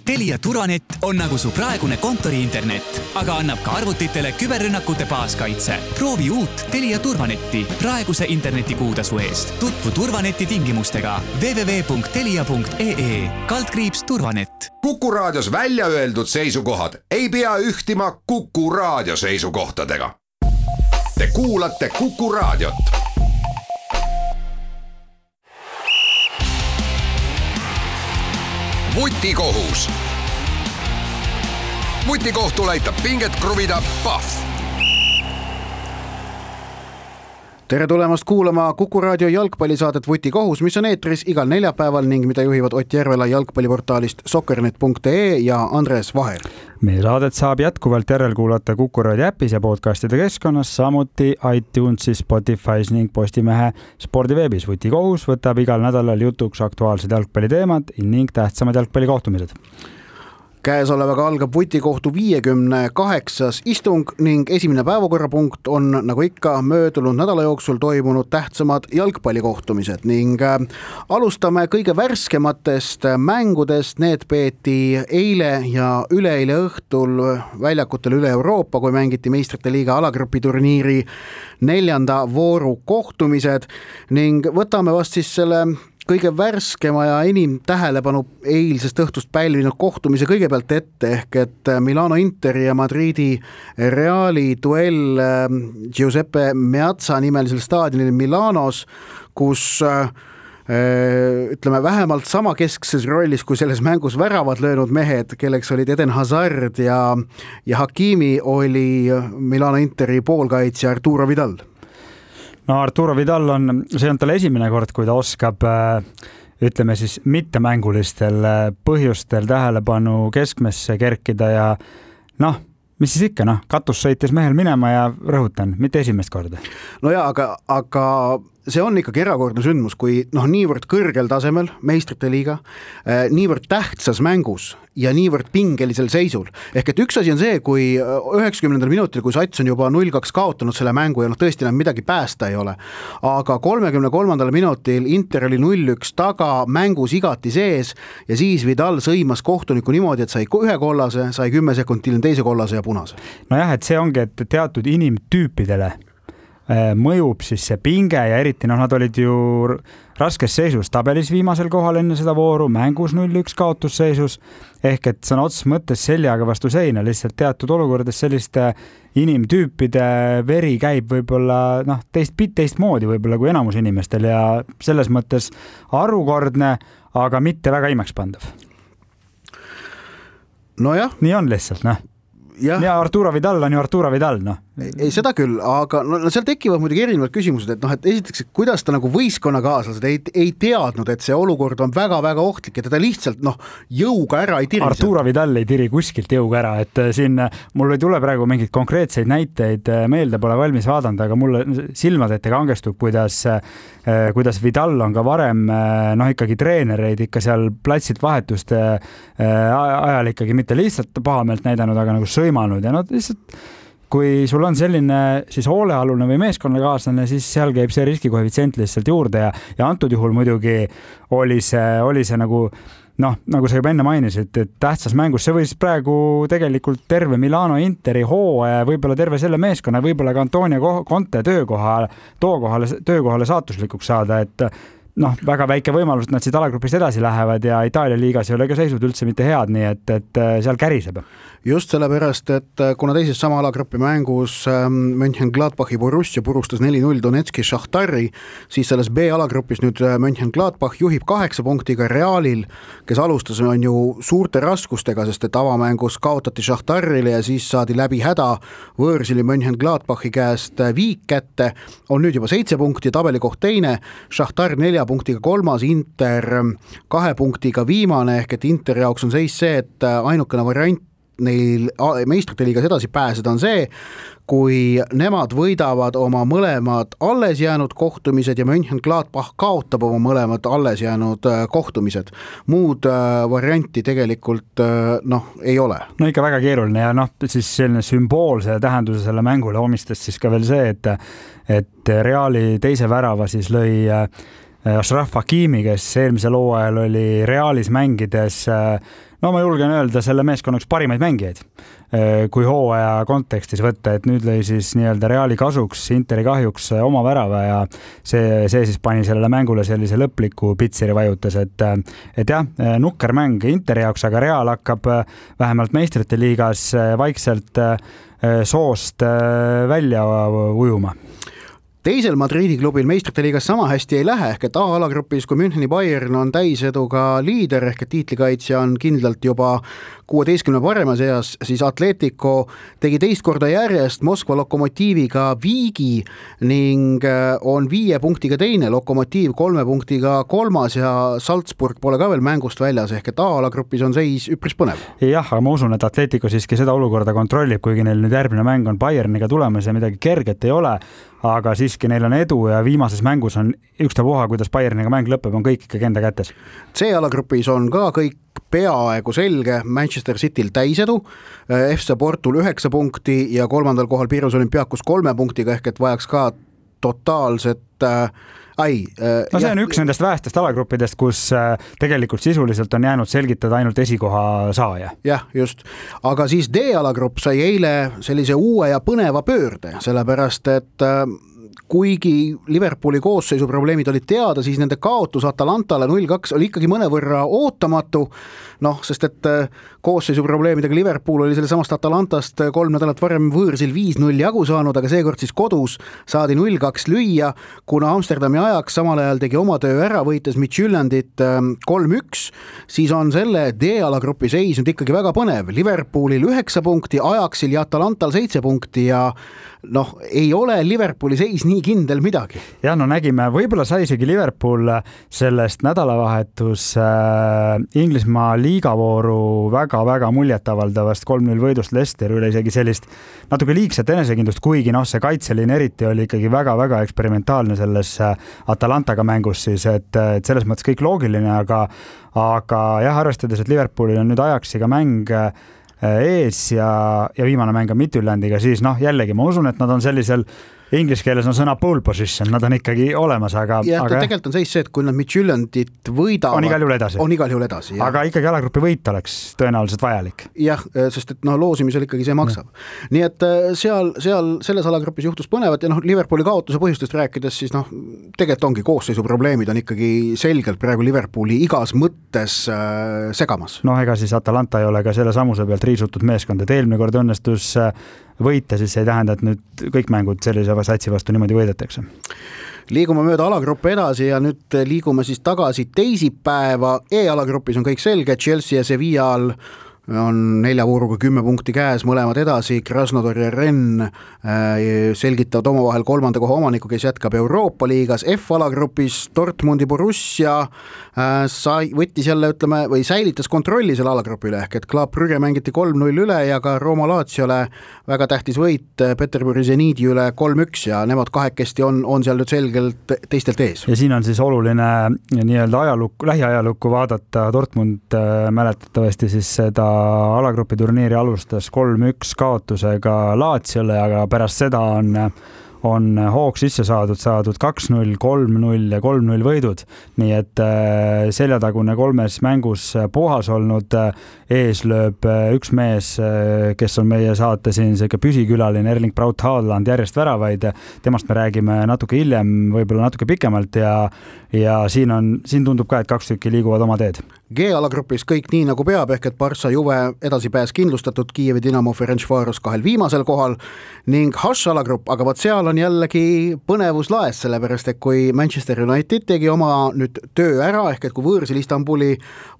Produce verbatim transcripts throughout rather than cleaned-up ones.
Telia Turvanet on nagu su praegune kontori-internet, aga annab ka arvutitele küberrünnakute baaskaitse. Proovi uut Telia Turvanetti praeguse internetikuutasu eest. Tutvu Turvaneti tingimustega w w w punkt telia punkt e e kaldkriips turvanet. Kuku Raadios välja öeldud seisukohad ei pea ühtima Kuku Raadio seisukohtadega. Te kuulate Kuku Raadiot. Vutikohus. Vutikohtul aitab pinget kruvida Pahv. Tere tulemast kuulama Kuku Raadio jalgpallisaadet Vutikohus, mis on eetris igal neljapäeval ning mida juhivad Ott Järvela jalgpalliportaalist soccernet punkt e ja Andres Vaher. Meie saadet saab jätkuvalt järelkuulata Kuku Raadio äpis ja podcastide keskkonnas, samuti iTunesis, Spotify's ning Postimehe spordiveebis. Vutikohus võtab igal nädalal jutuks aktuaalsed jalgpalliteemad ning tähtsamad jalgpallikohtumised. Käesolevaga algab Vutikohtu viiekümne kaheksas istung ning esimene päevakorrapunkt on nagu ikka möödunud nädala jooksul toimunud tähtsamad jalgpallikohtumised ning alustame kõige värskematest mängudest. Need peeti eile ja üleeile õhtul väljakutel üle Euroopa, kui mängiti meistrite liiga alagrupi turniiri neljanda vooru kohtumised ning võtame vast siis selle kõige värskema ja enim tähelepanu eilsest õhtust pälvinud kohtumise kõigepealt ette, ehk et Milano Interi ja Madridi Reali duell Giuseppe Meazza nimelisel staadionil Milanos, kus ütleme vähemalt sama keskses rollis kui selles mängus väravad löönud mehed, kelleks olid Eden Hazard ja, ja Hakimi, oli Milano Interi poolkaitsja Arturo Vidal. No Arturo Vidal on, see on tal esimene kord, kui ta oskab, ütleme siis mittemängulistel põhjustel tähelepanu keskmesse kerkida ja noh, mis siis ikka, noh, katus sõitis mehel minema ja rõhutan, mitte esimest korda. No jaa, aga, aga see on ikkagi erakordne sündmus, kui noh, niivõrd kõrgel tasemel meistrite liiga, niivõrd tähtsas mängus ja niivõrd pingelisel seisul. Ehk et üks asi on see, kui üheksakümnendal minutil, kui Sats on juba null kaks kaotanud selle mängu ja noh, tõesti enam midagi päästa ei ole. Aga kolmekümne kolmandal minutil Inter oli null üks taga, mängus igati sees ja siis Vidal sõimas kohtuniku niimoodi, et sai ühe kollase, sai kümme sekundil teise kollase ja punase. No jah, et see ongi, et teatud inimtüüpidele mõjub siis see pinge ja eriti noh, nad olid ju raskes seisus tabelis viimasel kohal enne seda vooru, mängus null üks kaotusseisus, ehk et sõna otseses mõttes seljaga vastu seina, lihtsalt teatud olukordades selliste inimtüüpide veri käib võib-olla noh, teist, teist moodi võib-olla kui enamus inimestel ja selles mõttes harukordne, aga mitte väga imekspandav. No jah. Nii on lihtsalt, noh. Ja. ja Arturo Vidal on ju Arturo Vidal, noh. Ei, seda küll, aga no, seal tekivad muidugi erinevad küsimused, et noh, et esiteks, et kuidas ta nagu võistkonnakaaslased ei, ei teadnud, et see olukord on väga-väga ohtlik ja teda lihtsalt noh, jõuga ära ei tiri. Arturo Vidal ei tiri kuskilt jõuga ära, et siin mul ei tule praegu mingid konkreetseid näiteid meelde, pole valmis vaadanud, aga mulle silmad ette kangestub, kuidas, kuidas Vidal on ka varem noh, ikkagi treenereid ikka seal platsilt vahetuste ajal ikkagi mitte lihtsalt pahameelt näidanud, aga nagu sõimanud ja no lihtsalt kui sul on selline siis hoolealune või meeskonnakaaslane, siis seal käib see riskikoefitsient lihtsalt juurde ja, ja antud juhul muidugi oli see, oli see nagu, noh, nagu sa juba enne mainisid, et tähtsas mängus, see võis praegu tegelikult terve Milano Interi hooaja, võib-olla terve selle meeskonna, võib-olla ka Antonio Conte töökohale, tookohale, töökohale saatuslikuks saada, et noh, väga väike võimalus, et nad siit alagrupist edasi lähevad ja Itaalia liigas ei ole ka seisud üldse mitte head, nii et, et seal käriseb. Just sellepärast, et kuna teises sama alagrupi mängus Mönchengladbachi Borussia purustas neli null Donetski Šahtari, siis selles B-alagrupis nüüd Mönchengladbach juhib kaheksa punktiga Realil, kes alustas on ju suurte raskustega, sest et avamängus kaotati Šahtarile ja siis saadi läbi häda võõrsili Mönchengladbachi käest viik kätte, on nüüd juba seitse punkti, tabelikoht teine, Šahtar nelja punktiga kolmas, Inter kahe punktiga viimane, ehk et Inter jaoks on seis see, et ainukene variant neil meistrite liigas edasi pääseda on see, kui nemad võidavad oma mõlemad alles jäänud kohtumised ja Mönchengladbach kaotab oma mõlemad alles jäänud kohtumised. Muud varianti tegelikult noh, ei ole. No ikka väga keeruline ja noh, siis selline sümboolse tähenduse selle mängule omistas siis ka veel see, et, et Reali teise värava siis lõi Ashraf Hakimi, kes eelmisel hooajal oli Realis mängides no ma julgen öelda selle meeskonna üks parimaid mängijaid, kui hooaja kontekstis võtta, et nüüd lõi siis nii-öelda Reali kasuks, Interi kahjuks oma värava ja see, see siis pani sellele mängule sellise lõpliku pitseri vajutas, et, et jah, nukker mäng Interi jaoks, aga Real hakkab vähemalt meistrite liigas vaikselt soost välja ujuma. Teisel Madridi klubil meistrite liigas sama hästi ei lähe, ehk et A-alagrupis, kui Müncheni Bayern on täiseduga liider, ehk et tiitlikaitsja on kindlalt juba kuueteistkümne parema seas, siis Atletico tegi teist korda järjest Moskva Lokomotiiviga viigi ning on viie punktiga teine, Lokomotiiv kolme punktiga kolmas ja Salzburg pole ka veel mängust väljas, ehk et A-alagrupis on seis üpris põnev. Jah, aga ma usun, et Atletico siiski seda olukorda kontrollib, kuigi neil nüüd järgmine mäng on Bayerniga tulemas ja midagi kerget ei ole, aga siiski neil on edu ja viimases mängus on ükstapuha, kuidas Bayerniga mäng lõpeb, on kõik ikkagi enda kätes. C-alagrupis on ka kõik peaaegu selge, Manchester Cityl täisedu, F C Portul üheksa punkti ja kolmandal kohal Pirus Olympiakos kolme punktiga, ehk et vajaks ka totaalset äh, ai. Äh, no see on jah, üks nendest vähestest alagruppidest, kus äh, tegelikult sisuliselt on jäänud selgitada ainult esikoha saaja. Jah, just. Aga siis D-alagrupp sai eile sellise uue ja põneva pöörde, sellepärast et äh, kuigi Liverpooli koosseisu probleemid olid teada, siis nende kaotus Atalantale null kaks oli ikkagi mõnevõrra ootamatu, noh, sest et koosseisu probleemidega Liverpool oli selle samast Atalantast kolm nädalat varem võõrsil viis null jagu saanud, aga seekord siis kodus saadi null kaks lüüa, kuna Amsterdami ajaks samal ajal tegi oma töö ära, võites Midtjyllandit kolm üks, siis on selle D-alagrupi seis nüüd ikkagi väga põnev. Liverpoolil üheksa punkti, Ajaxil ja Atalantal seitse punkti ja noh, ei ole Liverpooli seis nii kindel midagi. Ja no nägime, võib-olla sai isegi Liverpool sellest nädalavahetus äh, Inglismaa liigavooru väga-väga muljetavaldavast kolm null võidust Leicester üle isegi sellist natuke liigset enesekindlust, kuigi noh, see kaitseline eriti oli ikkagi väga-väga eksperimentaalne selles Atalantaga mängus siis, et, et selles mõttes kõik loogiline, aga, aga jah, arvestades, et Liverpoolil on nüüd Ajaxiga mäng ees ja, ja viimane mäng on Midtjyllandiga, siis noh, jällegi ma usun, et nad on sellisel inglise keeles on sõna pole position, nad on ikkagi olemas, aga... Ja aga tegelikult on seis see, et kui nad Midtjyllandit võidavad... On igal juhul edasi. On igal juhul edasi, jah. Aga ikkagi alagrupi võit oleks tõenäoliselt vajalik. Jah, sest et noh, loosimisel ikkagi see maksab. Ja. Nii et seal, seal selles alagrupis juhtus põnevat ja noh, Liverpooli kaotuse põhjustest rääkides, siis noh, tegelikult ongi koosseisu probleemid on ikkagi selgelt praegu Liverpooli igas mõttes äh, segamas. Noh, ega siis Atalanta ei ole ka selle samuse pealt riisutud meeskond, et eelmine kord õnnestus võita, siis ei tähenda, et nüüd kõik mängud sellise satsi vastu niimoodi võidetakse. Liigume mööda alagruppe edasi ja nüüd liigume siis tagasi teisipäeva. E-alagrupis on kõik selge, Chelsea ja Sevillal on nelja vooruga kümme punkti käes, mõlemad edasi, Krasnodar ja Renn selgitavad omavahel kolmanda koha omaniku, kes jätkab Euroopa liigas. F-alagrupis Dortmundi Borussia sai, võttis jälle, ütleme, või säilitas kontrolli selle alagrupile, ehk et Club Brügge mängiti kolm null üle ja ka Roma Laziole väga tähtis võit Peterburi Zeniidi üle kolm üks ja nemad kahekesti on, on seal nüüd selgelt teistelt ees. Ja siin on siis oluline nii-öelda ajalukku, lähiajalukku vaadata. Dortmund mäletatavasti siis seda alagrupi turniiri alustas kolm üks kaotusega Laziole, aga pärast seda on, on hoog sisse saadud, saadud kaks null, kolm null ja kolm null võidud. Nii et seljatagune kolmes mängus puhas olnud, ees lööb üks mees, kes on meie saate siin selline püsikülaline, Erling Braut Haaland, järjest väravaid. Temast me räägime natuke hiljem, võib-olla natuke pikemalt ja, ja siin, on, siin tundub ka, et kaks tükki liiguvad oma teed. G-alagrupis kõik nii nagu peab, ehk et Barca Juve edasipääs kindlustatud, Kiievi Dinamo Ferencvaros kahel viimasel kohal ning H-alagrupp, aga võt seal on jällegi põnevus laes, sellepärast et kui Manchester United tegi oma nüüd töö ära, ehk et kui võõrsil Istanbuli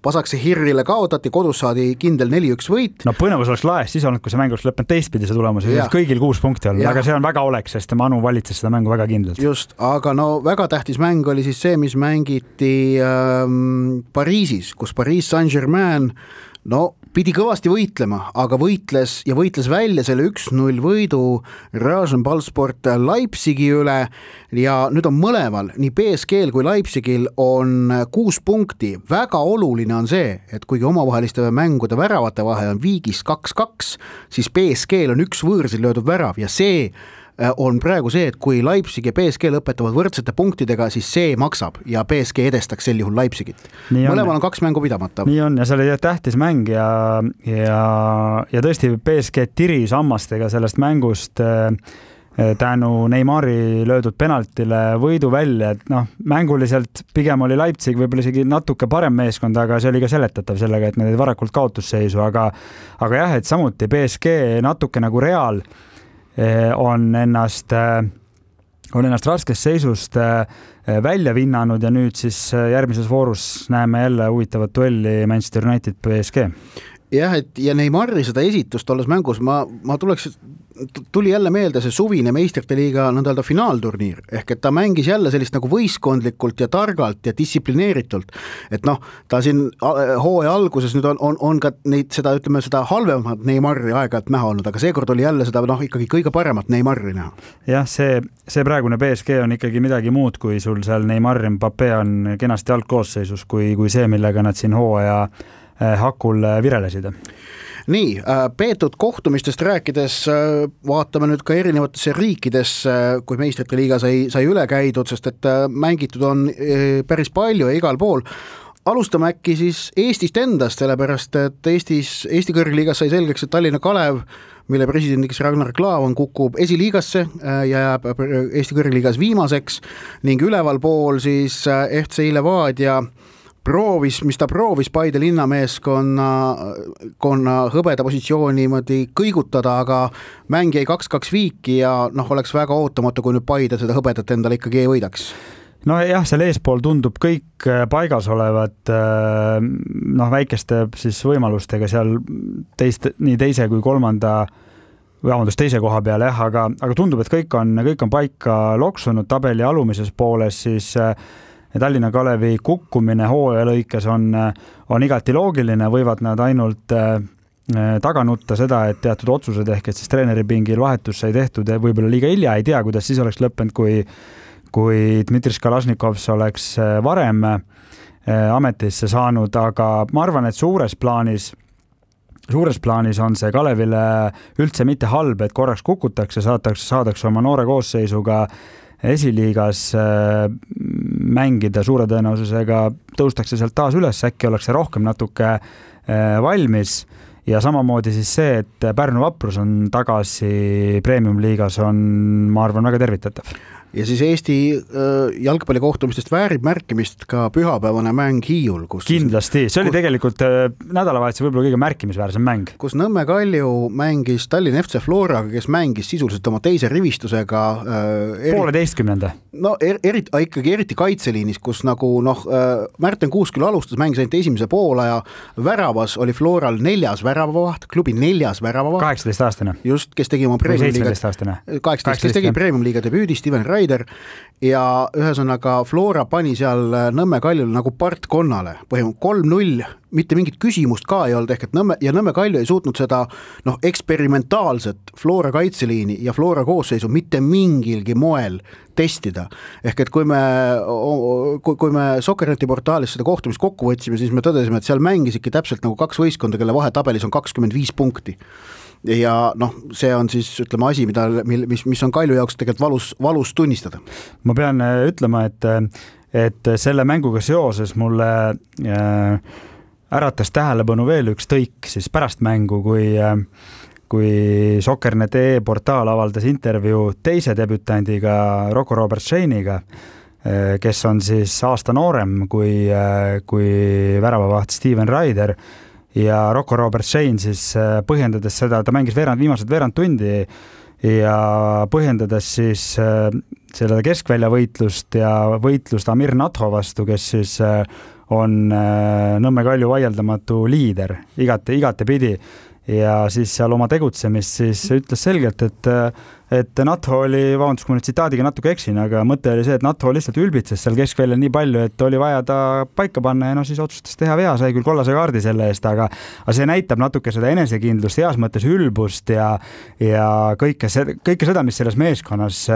Pasakse Hirrile kaotati, kodus saadi kindel neli üks võit. No põnevus oleks laes, siis olnud, kui see mäng oleks lõppenud teistpidi see tulemus, siis kõigil kuus punkti olnud, aga see on väga oleks, sest Manu valitses seda mängu väga kindlalt. Just, aga no väga tähtis mäng oli siis see, mis mängiti ähm, Pariisis, kus Paris Saint-Germain no pidi kõvasti võitlema, aga võitles ja võitles välja selle üks null võidu Rasenballsport Leipzigi üle ja nüüd on mõlemal, nii B S G-l kui Leipzigil on kuus punkti. Väga oluline on see, et kuigi omavaheliste mängude väravate vahe on viigis kaks kaks, siis B S G-l on üks võõrsil löödud värav ja see on praegu see, et kui Leipzig ja P S G lõpetavad võrdsete punktidega, siis see maksab ja P S G edestaks sel juhul Leipzigit. Mõlemal on kaks mängu pidamata. Nii on ja see oli tähtis mäng ja, ja, ja tõesti P S G tiri sammastega sellest mängust tänu Neymari löödud penaltile võidu välja, et noh, mänguliselt pigem oli Leipzig võib-olla isegi natuke parem meeskond, aga see oli ka seletatav sellega, et need varakult kaotusseisu, aga, aga jah, et samuti P S G natuke nagu Real on ennast, on ennast raskest seisust välja vinnanud ja nüüd siis järgmises voorus näeme jälle huvitavat duelli Manchester United P S G. Jah, et ja Neymari seda esitust olles mängus ma, ma tuleks, tuli jälle meelde see suvine meistrite liiga nõnda öelda finaalturniir, ehk et ta mängis jälle sellist nagu võistkondlikult ja targalt ja distsiplineeritult, et noh, ta siin hooaja alguses nüüd on, on, on ka neid seda, ütleme seda halvemat Neymari aeg-ajalt näha olnud, aga seekord oli jälle seda noh, ikkagi kõige paremat Neymari näha. Jah, see, see praegune P S G on ikkagi midagi muud, kui sul seal Neymar Mbappé on kenasti algkoosseisus, kui, kui see, millega nad siin hooaja hakul virelesid. Nii, peetud kohtumistest rääkides vaatame nüüd ka erinevatesse riikidesse, kui meistrite liiga sai, sai üle käidud, sest et mängitud on päris palju ja igal pool. Alustame äkki siis Eestist endast, sellepärast et Eestis, Eesti kõrgliigas sai selgeks, et Tallinna Kalev, mille presidendiks Ragnar Klavan kukub esiliigasse ja jääb Eesti kõrgliigas viimaseks ning üleval pool siis F C Levadia proovis, mis ta proovis Paide linnameeskonna konna hõbeda positsiooni niimoodi kõigutada, aga mäng jäi kaks kaks viiki ja noh, oleks väga ootamatu, kui nüüd Paide seda hõbedat endale ikkagi ei võidaks. No jah, seal eespool tundub kõik paigas olevat noh, väikeste siis võimalustega seal teist, nii teise kui kolmanda vabandust, teise koha peale, jah, aga, aga tundub, et kõik on, kõik on paika loksunud tabeli alumises pooles, siis Tallinna Kalevi kukkumine hooaja lõikes on, on igati loogiline, võivad nad ainult taga nutta seda, et teatud otsused ehk et siis treeneripingil vahetus sai tehtud ja võib-olla liiga hilja, ei tea, kuidas siis oleks lõppenud, kui, kui Dmitri Kalašnikovs oleks varem ametisse saanud, aga ma arvan, et suures plaanis suures plaanis on see Kalevile üldse mitte halb, et korraks kukutakse, saadakse, saadakse oma noore koosseisuga esiliigas mängida suure tõenäosusega, tõustakse sealt taas üles, äkki oleks see rohkem natuke valmis ja samamoodi siis see, et Pärnu Vaprus on tagasi premium-liigas on, ma arvan, väga tervitatav. Ja siis Eesti jalgpallikohtumistest väärib märkimist ka pühapäevane mäng Hiiul. Kus kindlasti, see oli kus, tegelikult nädalavahetuse võib-olla kõige märkimisväärsem mäng. Kus Nõmme Kalju mängis Tallinna F C Floraga, kes mängis sisuliselt oma teise rivistusega eri... pooleteistkümnenda. No er, eri, ikkagi eriti kaitseliinis, kus nagu noh, Märten Kuusküll alustas, mängis ainult esimese poole ja väravas oli Floral neljas väravavaht, klubi neljas väravavaht. kaheksateist aastane. Just, kes tegi oma premium-liiga kaheksateist, kes tegi premium-liiga debüüdi, Steven Raider ja ühesõnaga Flora pani seal Nõmme Kaljul nagu partkonnale põhimõtteliselt kolm null, mitte mingit küsimust ka ei olnud, ehk et Nõmme, ja Nõmme Kalju ei suutnud seda noh, eksperimentaalset Flora kaitseliini ja Flora koosseisu mitte mingilgi moel testida. Ehk et kui me, kui, kui me Sokkerneti portaalis seda kohtumist kokku võtsime, siis me tõdesime, et seal mängis ikka täpselt nagu kaks võistkonda, kelle vahetabelis on kakskümmend viis punkti. Ja noh, see on siis ütleme asi, mida, mis, mis on Kalju jaoks tegelikult valus, valus tunnistada. Ma pean ütlema, et, et selle mänguga seoses mulle äh, äratas tähelepanu veel üks tõik siis pärast mängu, kui, kui Soccernet E portaal avaldas intervjuu teise debütandiga Rocco Robert-Scheiniga, kes on siis aasta noorem kui, kui väravavaht Steven Raider. Ja Rocco Robert-Schein siis põhjendades seda, ta mängis veerand, viimased veerand tundi ja põhjendades siis selle keskvälja võitlust ja võitlust Amir Natho vastu, kes siis on Nõmme Kalju vaieldamatu liider igate, igate pidi ja siis seal oma tegutsemist siis ütles selgelt, et, et Natho oli, vabandust, kui nüüd tsitaadiga natuke eksin, aga mõte oli see, et Natho lihtsalt ülbitses seal keskväljal nii palju, et oli vaja ta paika panna ja no siis otsustas teha vea, sai küll kollase kaardi selle eest, aga, aga see näitab natuke seda enesekindlust, heas mõttes ülbust ja, ja kõike, see, kõike seda, mis selles meeskonnas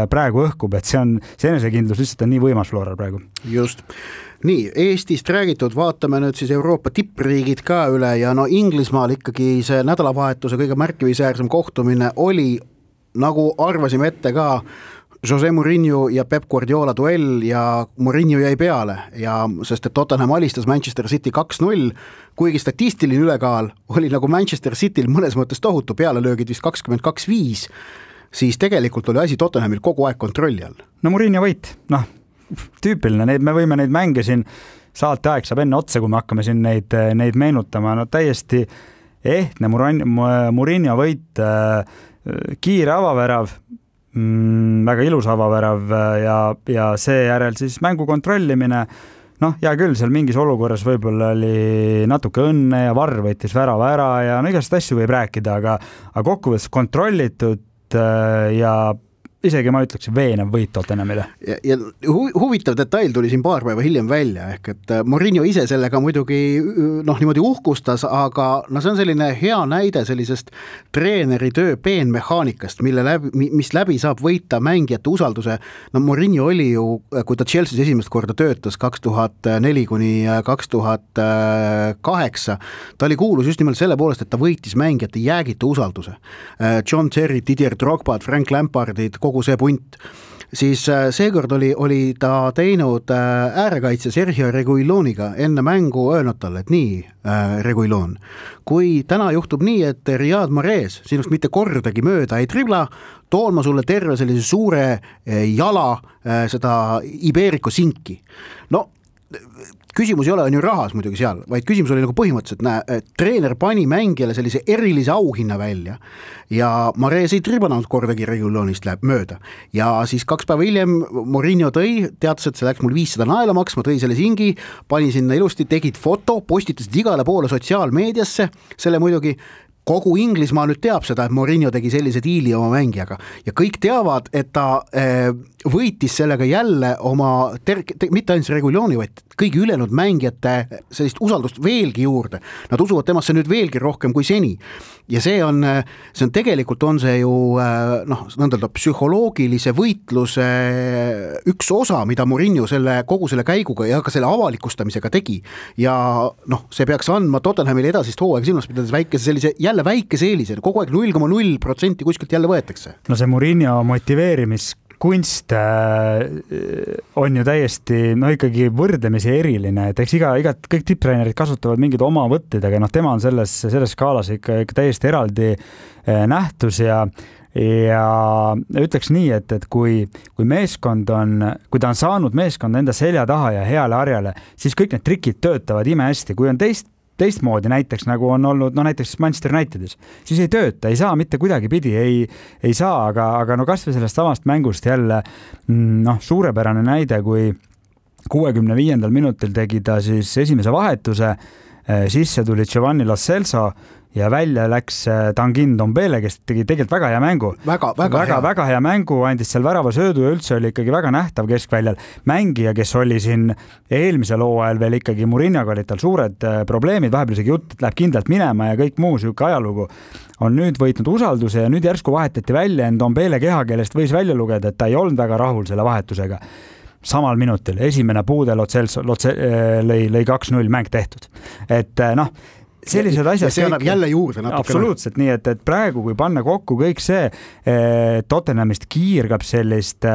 praegu õhkub, et see on, see enesekindlus lihtsalt on nii võimas Floral praegu. Just. Nii, Eestist räägitud, vaatame nüüd siis Euroopa tippriigid ka üle ja no Inglismaal ikkagi see nädalavahetuse kõige märkimisväärsem kohtumine oli nagu arvasime ette ka, Jose Mourinho ja Pep Guardiola duell ja Mourinho jäi peale ja sest et Tottenham alistas Manchester City kaks null, kuigi statistiline ülekaal oli nagu Manchester Cityl mõnes mõttes tohutu, pealelöögid vist kakskümmend kaks viis, siis tegelikult oli asi Tottenhamil kogu aeg kontrolli all. No Mourinho võit, noh, tüüpiline, neid, me võime neid mänge siin, saate aeg saab enne otsa, kui me hakkame siin neid, neid meenutama, no täiesti ehtne Mourinho võit, kiire avavärav, Mm, väga ilus avavärav ja, ja seejärel siis mängu kontrollimine, noh, hea küll, seal mingis olukorras võib-olla oli natuke õnne ja Varr võitis värava ära ja no igast asju võib rääkida, aga, aga kokkuvõttes kontrollitud ja isegi ma ütleks veenev võit Tottenhamile. Ja, ja hu- huvitav detail tuli siin paar päeva hiljem välja, ehk et Mourinho ise sellega muidugi noh, niimoodi uhkustas, aga no see on selline hea näide sellisest treeneri töö peenmehaanikast, mille läbi, mis läbi saab võita mängijate usalduse. No Mourinho oli ju, kui ta Chelsea's esimest korda töötas kaks tuhat neli kuni kaks tuhat kaheksa, ta oli kuulus just nimelt selle poolest, et ta võitis mängijate jäägitu usalduse. John Terry, Didier Drogba, Frank Lampardid, kogu see punt, siis seekord oli, oli ta teinud äärekaitse Sergio Reguiloniga enne mängu öelnud talle, et nii äh, Reguilon, kui täna juhtub nii, et Riyad Mahrez sinust mitte kordagi mööda ei tribla, toon ma sulle terve sellise suure jala äh, seda Iberico sinki. No küsimus ei ole on ju rahas muidugi seal, vaid küsimus oli nagu põhimõtteliselt, näe, treener pani mängijale sellise erilise auhinna välja ja Mahrez ei tribanud kordagi Reguilonist läheb mööda. Ja siis kaks päeva hiljem Mourinho tõi, teatas, et see läks mul viissada naela maksma, tõi selle singi, pani sinna ilusti, tegid foto, postitasid igale poole sotsiaalmeediasse, selle muidugi kogu Inglismaa nüüd teab seda, et Mourinho tegi sellise diili oma mängijaga ja kõik teavad, et ta eh, võitis sellega jälle oma, ter- te- mitte ainult Reguiloni, vaid kõigi ülejäänud mängijate sellist usaldust veelgi juurde. Nad usuvad temasse nüüd veelgi rohkem kui seni. Ja see on, see on tegelikult on see ju noh, nõndalda psühholoogilise võitluse üks osa, mida Mourinho selle, kogu selle käiguga ja ka selle avalikustamisega tegi. Ja noh, see peaks andma Tottenhamile edasist hooaega silmas pidades väikese sellise, jälle väikese eelise, kogu aeg null koma null protsenti kuskilt jälle võetakse. No see Mourinho motiveerimis kunst on ju täiesti no ikkagi võrdlemisi eriline, et eks iga, iga, kõik tipptreenerid kasutavad mingid oma võtted, aga noh, tema on selles, selles skaalas ikka, ikka täiesti eraldi nähtus ja ja ütleks nii, et, et kui, kui meeskond on, kui ta on saanud meeskond enda selja taha ja heale harjale, siis kõik need trikid töötavad ime hästi, kui on teist teistmoodi näiteks, nagu on olnud, no näiteks Manchester Unitedis, siis ei tööta, ei saa mitte kuidagi pidi, ei, ei saa, aga, aga no kas või sellest samast mängust jälle noh, suurepärane näide, kui kuuekümne viiendal minutil tegi ta siis esimese vahetuse, sisse tuli Giovanni Lo Celso ja välja läks Tanguy Ndombele, kes tegi tegelikult väga hea mängu. Väga, väga, väga, hea. väga hea mängu, andis seal värava söödu ja üldse oli ikkagi väga nähtav keskväljal. Mängija, kes oli siin eelmisel hooajal veel ikkagi Mourinhoga olid tal suured probleemid, vahepeal isegi jutt läheb kindlalt minema ja kõik muu siuke ajalugu, on nüüd võitnud usalduse ja nüüd järsku vahetati välja Ndombele kehakeelest võis välja lugeda, et ta ei olnud väga rahul selle vahetusega. Samal minutil, esimene puude Lo Celso lõi, lõi kaks null mäng tehtud. Et noh, sellised asjad. See annab jälle juurde natuke. Absoluutselt, nii et, et praegu, kui panna kokku kõik see, Tottenhamist kiirgab sellist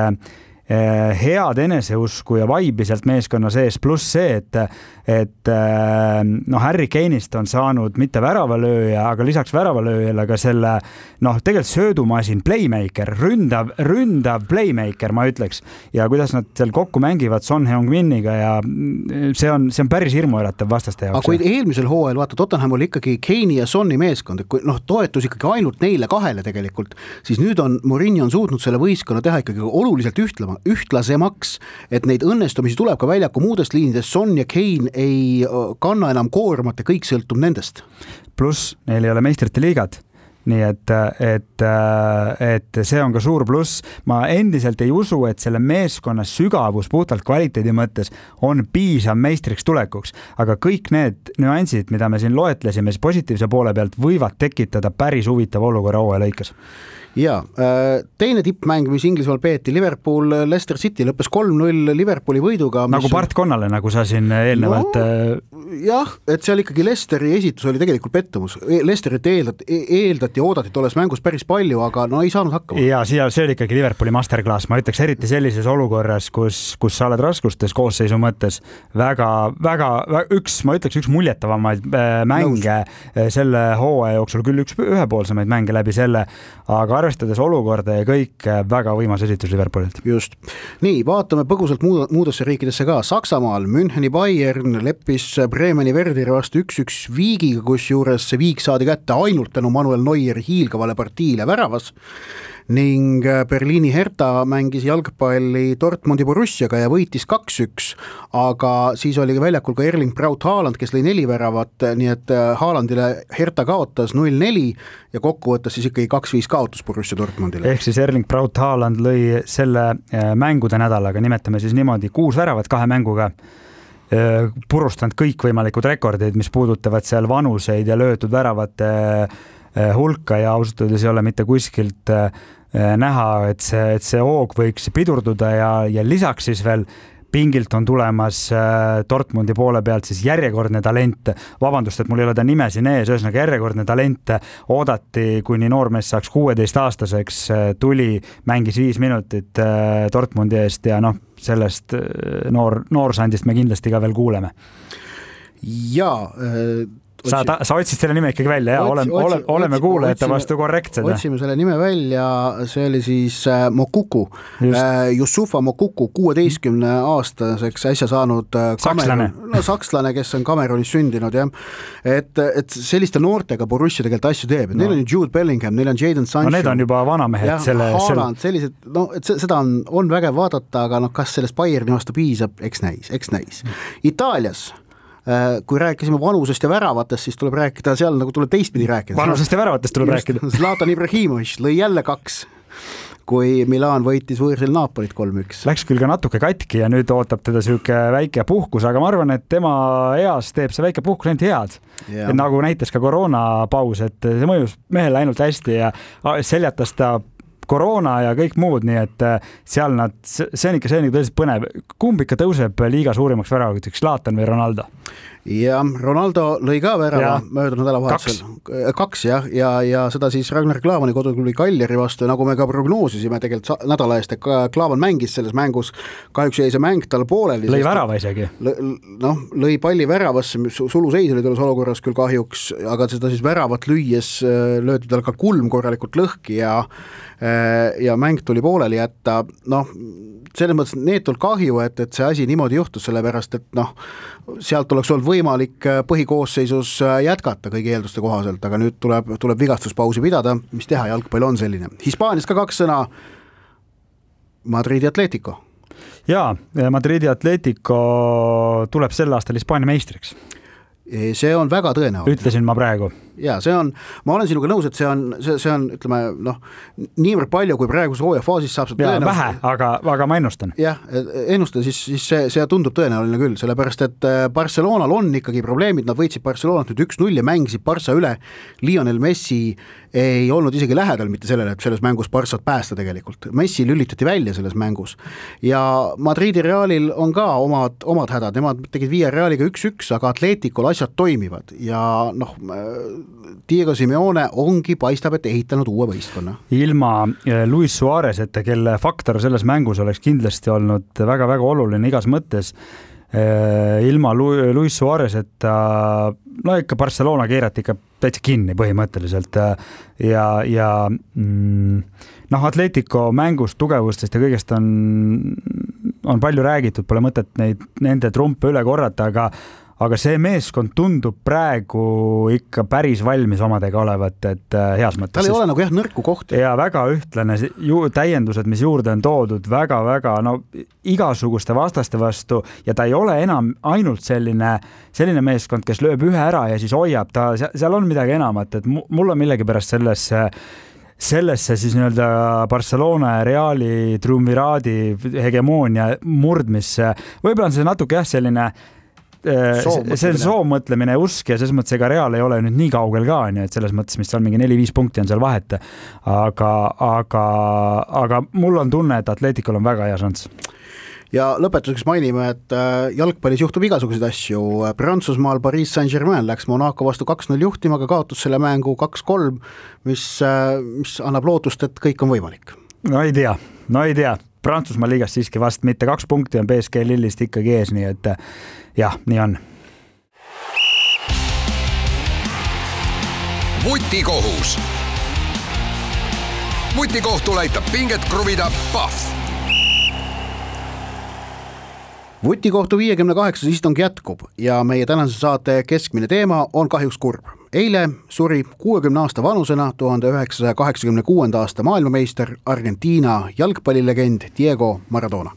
head eneseusku ja vaibi sealt meeskonna sees, pluss see, et, et noh, Harry Kane'ist on saanud mitte väravalööja, aga lisaks väravalööjale ka selle noh, tegelikult söödumasin playmaker, ründav, ründav playmaker, ma ütleks, ja kuidas nad seal kokku mängivad Son Heung-Miniga ja see on, see on päris hirmuäratav vastaste jaoks. Aga kui eelmisel hooajal vaata, Tottenham oli ikkagi Kane'i ja Sonni meeskond, kui noh, toetus ikkagi ainult neile kahele tegelikult, siis nüüd on Mourinho on suutnud selle võistkonna teha ikkagi oluliselt ühtlema ühtlasemaks, et neid õnnestumisi tuleb ka väljaku muudest liinidest, Son ja Kane ei kanna enam koormat ja kõik sõltub nendest. Pluss neil ei ole meistrite liigad, nii et, et, et see on ka suur pluss. Ma endiselt ei usu, et selle meeskonna sügavus puhtalt kvaliteedi mõttes on piisav meistriks tulekuks, aga kõik need nüansid, mida me siin loetlesime, siis positiivse poole pealt võivad tekitada päris huvitav olukorra hooaja lõikes. Ja, teine tippmäng, mis Inglismaal peeti, Liverpool Leicester City lõppes kolm null Liverpooli võiduga. Nagu Bart Connale, nagu sa siin eelnevalt no, jah, et seal ikkagi Leicesteri esitus oli tegelikult pettumus. Leicesterit eeldati, eeldati loodeti, oodati tolles mängus päris palju, aga no ei saanud hakkama. Ja siia, see oli ikkagi Liverpooli masterclass, ma ütleks eriti sellises olukorras, kus, kus sa oled raskustes koosseisu mõttes väga, väga, üks, ma ütleks üks muljetavamaid mänge Nõus. Selle hooaja jooksul, küll üks ühepoolsemaid mänge läbi selle, aga arvestades olukorda ja kõik väga võimas esitus Liverpoolilt. Just. Nii, vaatame põgusalt muudesse riikidesse ka. Saksamaal Müncheni Bayern leppis Bremeni Verderi vastu üks-üks viigiga, kus juures see viik saadi kätte ainult tänu Manuel Neueri hiilgavale partiile väravas ning Berliini Hertha mängis jalgpalli Dortmundi Borussiaga ja võitis kaks-üks, aga siis oli väljakul ka Erling Braut Haaland, kes lõi neli väravat, nii et Haalandile Hertha kaotas null neli ja kokkuvõttes siis ikkagi kaks-viis kaotus Borussia Dortmundile. Ehk siis Erling Braut Haaland lõi selle mängude nädalaga, nimetame siis niimoodi, kuus väravat kahe mänguga, purustanud kõikvõimalikud rekordid, mis puudutavad seal vanuseid ja löötud väravate hulka ja ausalt öeldes ei ole mitte kuskilt näha, et see, et see hoog võiks pidurduda ja, ja lisaks siis veel pingilt on tulemas Dortmundi poole pealt siis järjekordne talent. Vabandust, et mul ei ole ta nime siin ees, ühesõnaga järjekordne talent oodati, kuni noormees saaks kuueteist aastaseks, tuli, mängis viis minutit Dortmundi eest ja noh, sellest noor, noorsandist me kindlasti ka veel kuuleme. Jaa, Sa, ta, sa otsid selle nime ikkagi välja, ja oleme, otsi, oleme otsi, kuulajate otsime, vastu korrektsed. Otsime selle nime välja, see oli siis äh, Mokuku, äh, Yusufa Mokuku, kuueteistkümne aastaseks äsja saanud äh, sakslane. No, sakslane, kes on Kamerunis sündinud, jah. Et, et selliste noortega Borussia tegelikult asju teeb, no. Neil on Jude Bellingham, neil on Jadon Sancho. No need on juba vanamehed. Ja, selle, Haaland, selle... sellised, no, et seda on, on vägev vaadata, aga no, kas sellest Bayerni vastu piisab, eks näis, eks näis. Itaalias kui rääkisime vanusest ja väravatest, siis tuleb rääkida seal, nagu tuleb teistpidi rääkida. Vanusest ja väravatest tuleb Just, rääkida. Zlatan Ibrahimovic lõi jälle kaks, kui Milan võitis võõrsil Napolit kolm-üks. Läks küll ka natuke katki ja nüüd ootab teda süuke väike puhkus, aga ma arvan, et tema eas teeb see väike puhkus ainult head. Yeah. Nagu näitas ka koroonapaus, et see mõjus mehele ainult hästi ja seljatas ta koroona ja kõik muud, nii et seal nad, see on ikka see on tõeliselt põnev. Kumb ikka tõuseb liiga suurimaks väravaks, Zlatan või Ronaldo? Ja Ronaldo lõi ka värava möödunud nädalavahetusel. Kaks, kaks jah, ja, ja seda siis Ragnar Klavani koduklubi Cagliari vastu, nagu me ka prognoosisime tegelikult nädala eest, et Klavan mängis selles mängus, kahjuks jäi see mäng tal pooleli. Lõi värava isegi. Noh, lõi palli väravasse, suluseis oli tulles olukorras küll kahjuks, aga seda siis väravat lüües löödi tal ka kulm korralikult lõhki ja ja mäng tuli pooleli jätta, noh, selles mõttes neetult kahju, et, et see asi niimoodi juhtus, sellepärast, et noh, sealt oleks olnud võimalik põhikoosseisus jätkata kõigi eelduste kohaselt, aga nüüd tuleb, tuleb vigastuspausi pidada, mis teha, jalgpall on selline. Hispaanias ka kaks sõna, Madridi Atletico. Jaa, Madridi Atletico tuleb sel aastal Hispaania meistriks. See on väga tõenäoline. Ütlesin ma praegu. Ja see on, ma olen sinuga nõus, et see on, see, see on, ütleme, noh, niivõrd palju, kui praegus hooaja faasis saab seda tõenäoline. Vähe, aga, aga ma ennustan. Jah, ennustan, siis, siis see, see tundub tõenäoline küll, sellepärast, et Barcelonal on ikkagi probleemid, nad võitsid Barcelonat nüüd üks-null ja mängisid Barca üle. Lionel Messi ei olnud isegi lähedal mitte sellele, et selles mängus Barcat päästa tegelikult. Messi lülitati välja selles mängus. Ja Madridi Realil on ka omad, omad hädad, nemad tegid viie Realiga üks-üks, aga Atleticol asjad toimivad ja noh, Diego Simeone ongi, paistab, et ehitanud uue võistkonna. Ilma Luis Suarezeta, kelle faktor selles mängus oleks kindlasti olnud väga-väga oluline igas mõttes, ilma Luis Suarezeta, no ikka Barcelona keerati ikka täitsa kinni põhimõtteliselt ja, ja mm, noh, Atletico mängust, tugevustest ja kõigest on, on palju räägitud, pole mõtet neid, nende trumpe üle korrata, aga aga see meeskond tundub praegu ikka päris valmis omadega olevat, et heas mõttes. Tal ei ole nagu jah nõrku kohti. Ja väga ühtlane ju, täiendused, mis juurde on toodud, väga-väga no, igasuguste vastaste vastu ja ta ei ole enam ainult selline, selline meeskond, kes lööb ühe ära ja siis hoiab, ta, seal on midagi enamat, et mul on millegipärast sellesse sellesse siis nii-öelda Barcelona ja Reali triumviraadi hegemoonia murdmisse. Võib-olla on see natuke jah selline see on soomõtlemine ja usk ja selles mõttes ega Real ei ole nüüd nii kaugel ka, nii et selles mõttes, mis seal mingi neli-viis punkti on seal vahet, aga, aga, aga mul on tunne, et Atleticul on väga hea šans. ja lõpetuseks mainime, et jalgpallis juhtub igasuguseid asju. Prantsusmaal Paris Saint-Germain läks Monaco vastu kaks null juhtima, aga kaotus selle mängu kaks kolm, mis, mis annab lootust, et kõik on võimalik. No ei tea, no ei tea. Prantsusmaa liigast siiski vast mitte kaks punkti on B S G Lillist ikkagi ees, nii et jah, nii on. Vutikohus. Vutikohtul aitab pinget kruvida Pahv. Vutikohtu viiekümne kaheksas istung jätkub ja meie tänase saate keskmine teema on kahjuks kurb. Eile suri kuuekümne aasta vanusena tuhande üheksasaja kaheksakümne kuuenda aasta maailmameister Argentiina jalgpallilegend Diego Maradona.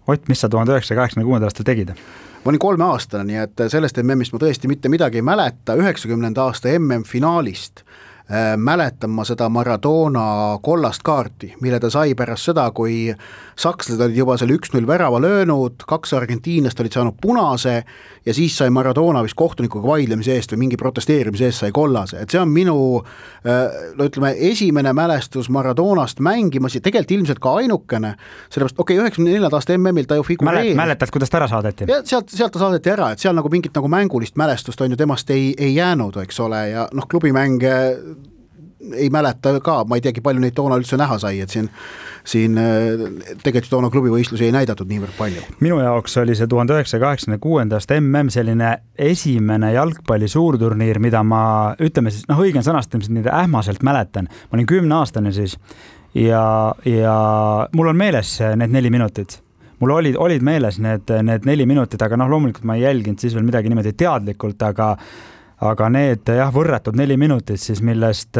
Ott, mis sa tuhande üheksasaja kaheksakümne kuuenda aastal tegid? Ma olin kolme aastane, nii et sellest M M-ist ma tõesti mitte midagi ei mäleta. üheksakümnenda aasta M M-finaalist äh, mäletan ma seda Maradona kollast kaarti, mille ta sai pärast seda, kui sakslased olid juba selle üks null värava löönud, kaks argentiinlast olid saanud punase ja siis sai Maradona vist kohtunikuga vaidlemise eest või mingi protesteerimise eest sai kollase. Et see on minu no ütleme, esimene mälestus Maradonast mängimas ja tegelikult ilmselt ka ainukene, sellepärast okei, okay, üheksakümne neljanda aasta M M-il ta ju figureeris. Mäletad, kuidas ta ära saadeti? Ja sealt, sealt ta saadeti ära, et seal nagu mingit nagu mängulist mälestust on ju temast ei, ei jäänud, eks ole, ja noh, klubimänge ei mäleta ka, ma ei teagi, palju neid toona üldse näha sai, et siin, siin tegelikult toona klubivõistlusi ei näidatud niivõrd palju. Minu jaoks oli see tuhande üheksasaja kaheksakümne kuuenda aasta M M selline esimene jalgpalli suurturniir, mida ma, ütleme siis, noh õigen sõnastamiselt nii ähmaselt mäletan. Ma olin kümne aastane siis ja, ja mul on meeles need neli minutit. Mul olid, olid meeles need, need neli minutit, aga noh, loomulikult ma ei jälginud siis veel midagi niimoodi teadlikult, aga aga need jah, võrratud neli minutit siis, millest,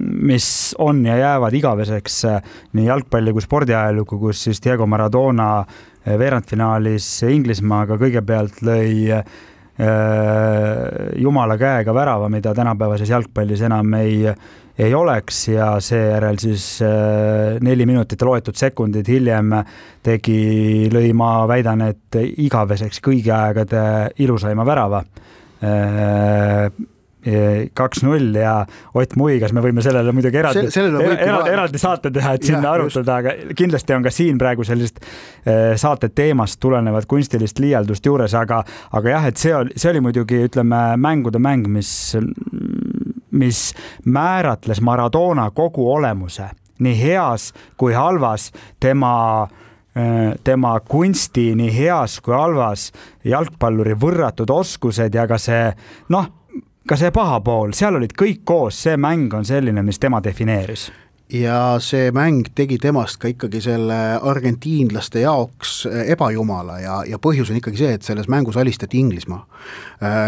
mis on ja jäävad igaveseks nii jalgpalli kui spordiajalugu, kus siis Diego Maradona veerandfinaalis Inglismaaga kõigepealt lõi jumala käega värava, mida tänapäevases jalgpallis enam ei, ei oleks ja seejärel siis neli minutit loetud sekundid hiljem tegi, lõi ma väidan, et igaveseks kõigi aegade ilusaima värava. kaks null ja Ott Muigas, me võime sellele muidugi eraldi, eraldi, eraldi saate teha, et sinna ja, arutada, aga kindlasti on ka siin praegu sellist saate teemast tulenevat kunstilist liialdust juures, aga, aga jah, et see oli, see oli muidugi, ütleme, mängude mäng, mis, mis määratles Maradona kogu olemuse, nii heas kui halvas, tema tema kunsti nii heas kui halvas, jalgpalluri võrratud oskused ja ka see, noh, ka see paha pool, seal olid kõik koos, see mäng on selline, mis tema defineeris. Ja see mäng tegi temast ka ikkagi selle argentiinlaste jaoks ebajumala ja, ja põhjus on ikkagi see, et selles mängus alistati Inglismaa.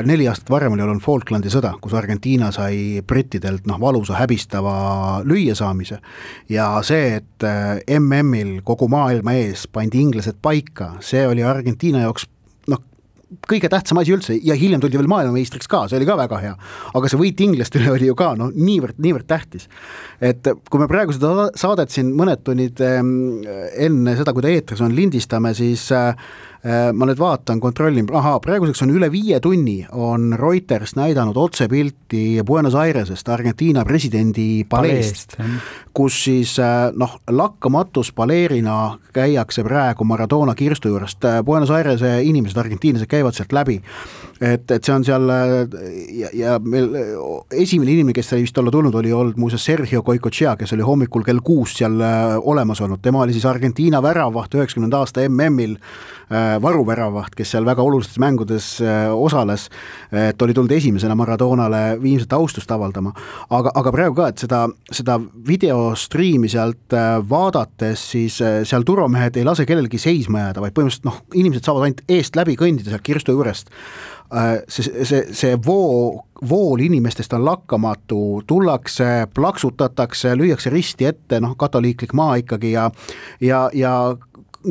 Neli aastat varem oli olnud Falklandi sõda, kus Argentiina sai brittidelt noh, valusa häbistava lüüasaamise ja see, et M M-il kogu maailma ees pandi inglased paika, see oli Argentiina jaoks noh, kõige tähtsam asi üldse ja hiljem tuldi veel maailmameistriks ka, see oli ka väga hea, aga see võit inglastele oli ju ka no, niivõrd, niivõrd tähtis. Et kui me praegu seda saadet siin mõned tunnid enne seda, kui ta eetris on, lindistame, siis ma nüüd vaatan, kontrollin, aha, praeguseks on üle viie tunni on Reuters näidanud otsepilti Buenos Airesest, Argentiina presidendi paleest, kus siis noh, lakkamatus paleerina käiakse praegu Maradona kirstu juurest. Buenos Airese inimesed, argentiinlased käivad sealt läbi, et, et see on seal ja, ja meil esimene inimene, kes sai vist olla tulnud, oli olnud muuseas Sergio Goicoechea, kes oli hommikul kell kuus seal olemas olnud. Tema oli siis Argentiina väravaht üheksakümnenda aasta M M-il, varuväravaht, kes seal väga olulistes mängudes osales, et oli tulnud esimesena Maradonale viimset austust avaldama. Aga, aga praegu ka, et seda, seda videostriimi sealt vaadates, siis seal turvamehed ei lase kellelgi seisma jääda, vaid põhimõtteliselt noh, inimesed saavad ainult eest läbi kõndida sealt kirstu juurest. See, see, see voo, vool inimestest on lakkamatu, tullakse, plaksutatakse, lüüakse risti ette, noh, katoliiklik maa ikkagi ja, ja, ja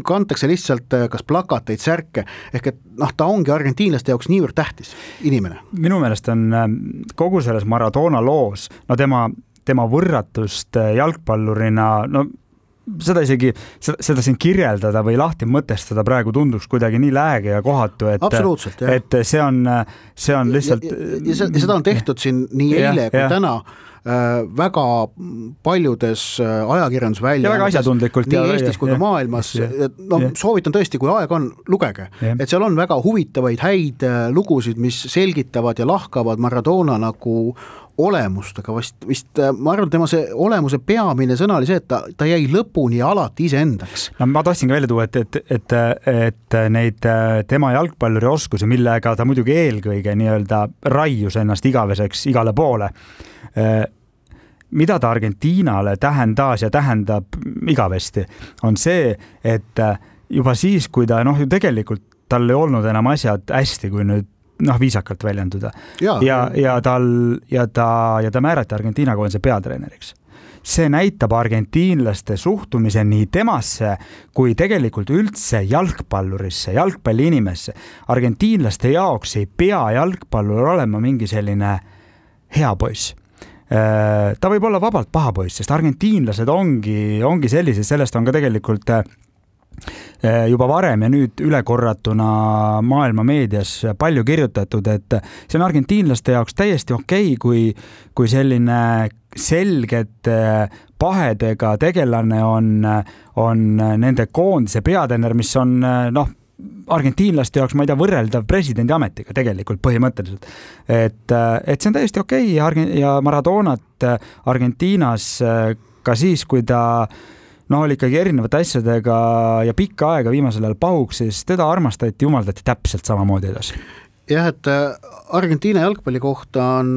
kantakse lihtsalt kas plakateid, särke, ehk et noh, ta ongi argentiinlaste jaoks niivõrd tähtis inimene. Minu meelest on kogu selles Maradona loos, no tema, tema võrratust jalgpallurina, no seda isegi, seda siin kirjeldada või lahti mõtestada praegu tunduks kuidagi nii lääge ja kohatu, et, et see on, see on lihtsalt... Ja, ja, ja seda on tehtud siin nii eile ja, kui ja. täna väga paljudes ajakirjandusväljaannetes, väga asjatundlikult nii ja, Eestis ja, kui ka maailmas. No, soovitan tõesti, kui aeg on, lugege, ja. Et seal on väga huvitavaid häid lugusid, mis selgitavad ja lahkavad Maradona nagu olemust, aga vist, vist ma arvan, tema see olemuse peamine sõna oli see, et ta, ta jäi lõpuni alati iseendaks. No ma tahtsin ka välja tuua, et, et, et, et neid tema jalgpalluri oskusi, millega ta muidugi eelkõige nii-öelda raius ennast igaveseks igale poole, mida ta Argentiinale tähendas ja tähendab igavesti, on see, et juba siis, kui ta noh, ju tegelikult tal ei olnud enam asjad hästi, kui nüüd noh, viisakalt väljenduda. Ja, ja, ja, tal, ja, ta, ja ta määrati Argentiina koondise peatreeneriks. See näitab argentiinlaste suhtumise nii temasse kui tegelikult üldse jalgpallurisse, jalgpalli inimesse. Argentiinlaste jaoks ei pea jalgpallur olema mingi selline hea poiss. Ta võib olla vabalt paha poiss, sest argentiinlased ongi, ongi sellised, sellest on ka tegelikult juba varem ja nüüd ülekorratuna maailma meedias palju kirjutatud, et see on argentiinlaste jaoks täiesti okei, kui, kui selline selgete pahedega tegelane on, on nende koondise peatreener, mis on noh, argentiinlaste jaoks, ma ei tea, võrreldav presidendi ametiga tegelikult põhimõtteliselt. Et, et see on täiesti okei ja Maradonat Argentiinas ka siis, kui ta no oli ikkagi erinevate asjadega ja pikka aega viimasel ajal pahuks, siis teda armastati, jumaldati täpselt samamoodi edasi. Jah, et Argentiina jalgpalli kohta on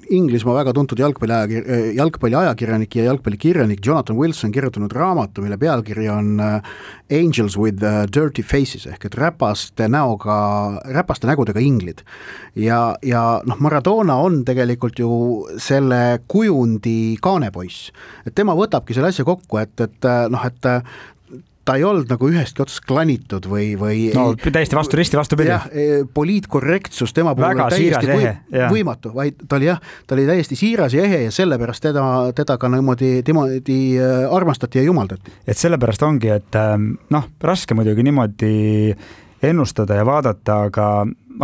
Inglismaa väga tuntud jalgpalli, jalgpalli ajakirjanik ja jalgpallikirjanik Jonathan Wilson kirjutanud raamatu, mille pealkiri on Angels with Dirty Faces ehk et räpaste näoga, räpaste nägudega inglid. Ja, ja noh, Maradona on tegelikult ju selle kujundi kaanepoiss. Et tema võtabki selle asja kokku, et, et noh, et ta ei olnud nagu ühestki otsast klanitud või, või no, täiesti vastu, risti vastu pidi. Jah, poliitkorrektsus tema puhul on täiesti või, ehe, võimatu, vaid ta oli jah, ta oli täiesti siiras ja ehe ja sellepärast teda, teda ka niimoodi, niimoodi armastati ja jumaldati. Et sellepärast ongi, et noh, raske muidugi niimoodi ennustada ja vaadata, aga,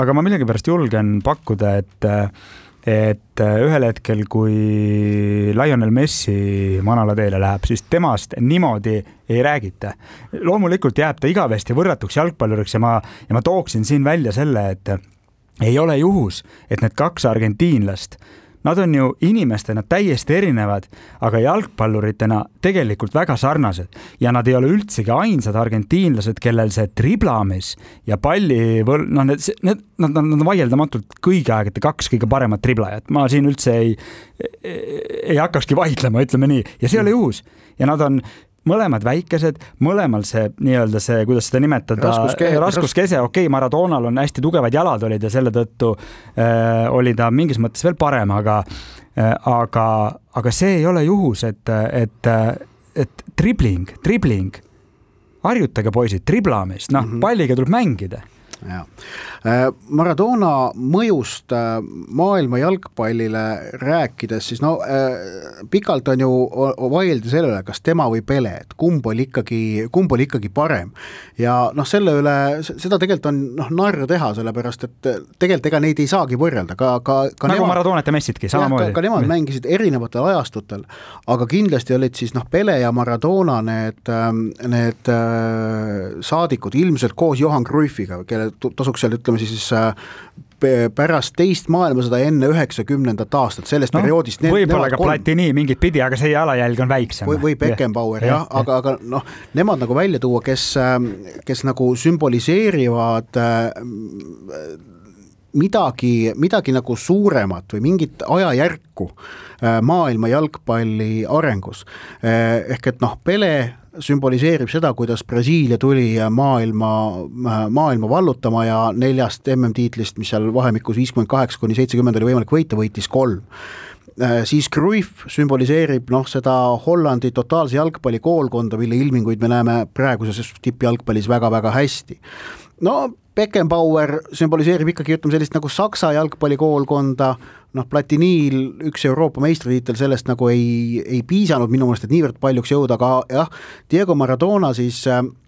aga ma millegipärast julgen pakkuda, et et ühel hetkel, kui Lionel Messi manala teele läheb, siis temast niimoodi ei räägita. Loomulikult jääb ta igavesti võrratuks jalgpalluriks ja ma, ja ma tooksin siin välja selle, et ei ole juhus, et need kaks argentiinlast, nad on ju inimestena täiesti erinevad, aga jalgpalluritena tegelikult väga sarnased. Ja nad ei ole üldsegi ainsad argentiinlased, kellel see triblamis ja palli, no need, need, nad, nad on vaieldamatult kõigi aegade kaks kõige paremat triblajat. Ma siin üldse ei, ei hakkakski vaidlema, ütleme nii. Ja see oli juhus. Ja nad on mõlemad väikesed, mõlemal see nii-öelda see, kuidas seda nimetada, raskuskese, raskuskese okei, okay, Maradonal on hästi tugevad jalad olid ja selle tõttu äh, oli ta mingis mõttes veel parem, aga, äh, aga, aga see ei ole juhus, et, et, et tribling, tribling, harjutage poisid, triblamist, noh, mm-hmm. palliga tuleb mängida. Ja. Maradona mõjust maailma jalgpallile rääkides, siis no pikalt on ju vaieldi selle üle, kas tema või Pele, et kumb oli ikkagi, kumb oli ikkagi parem. Ja noh, selle üle, seda tegelikult on noh, narr teha, sellepärast, et tegelikult ega neid ei saagi võrrelda. Ka, ka, ka nagu nemad, Maradonat ja Messitki, samamoodi. Ka, ka nemad mängisid erinevatel ajastutel, aga kindlasti olid siis noh, Pele ja Maradona need, need saadikud ilmselt koos Johan Cruyffiga, kelle tasuks seal, ütleme siis pärast teist maailmasõda enne üheksakümnendat aastat, sellest no, perioodist. Võib-olla ka Platini mingit pidi, aga see jalajälg on väiksem. Või, või Beckenbauer, jah, jah, aga, aga noh, nemad nagu välja tuua, kes, kes nagu sümboliseerivad midagi, midagi nagu suuremat või mingit ajajärku maailma jalgpalli arengus. Ehk et noh, Pele sümboliseerib seda, kuidas Brasiilia tuli maailma, maailma vallutama ja neljast M M-tiitlist, mis seal vahemikus viiskümmend kaheksa kuni seitsekümmend oli võimalik võita, võitis kolm. Siis Cruyff sümboliseerib noh, seda Hollandi totaalse jalgpalli koolkonda, mille ilminguid me näeme praeguses tippjalgpallis väga-väga hästi. No Beckenbauer sümboliseerib ikkagi ütleme sellist nagu Saksa jalgpallikoolkonda, noh Platiniil üks Euroopa meistritiitel sellest nagu ei, ei piisanud minu meelest, et niivõrd paljuks jõuda, aga jah, Diego Maradona siis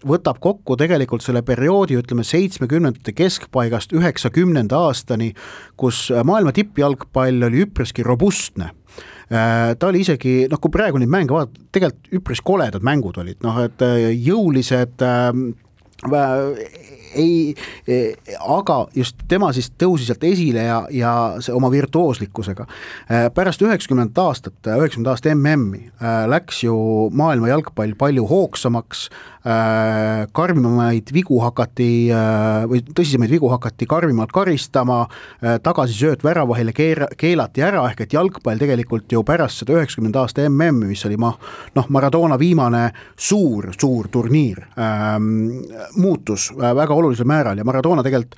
võtab kokku tegelikult selle perioodi, ütleme seitsmekümnendate keskpaigast üheksakümnenda aastani, kus maailma tippjalgpall oli üpriski robustne. Ta oli isegi, noh kui praegu neid mänge vaadata, tegelikult üpris koledad mängud olid, noh et jõulised ei, aga just tema siis tõusis sealt esile ja, ja see oma virtuooslikkusega. Pärast üheksakümnendat aastat, üheksakümnenda aasta M M-i läks ju maailma jalgpall palju hoogsamaks, karmimamaid vigu hakati või tõsisemaid vigu hakati karmimalt karistama, tagasi sööt väravahile keelati ära, ehk et jalgpall tegelikult ju pärast seda üheksakümnenda aasta M M-i, mis oli ma, noh, Maradona viimane suur, suur turniir, muutus väga olulisel määral ja Maradona tegelikult,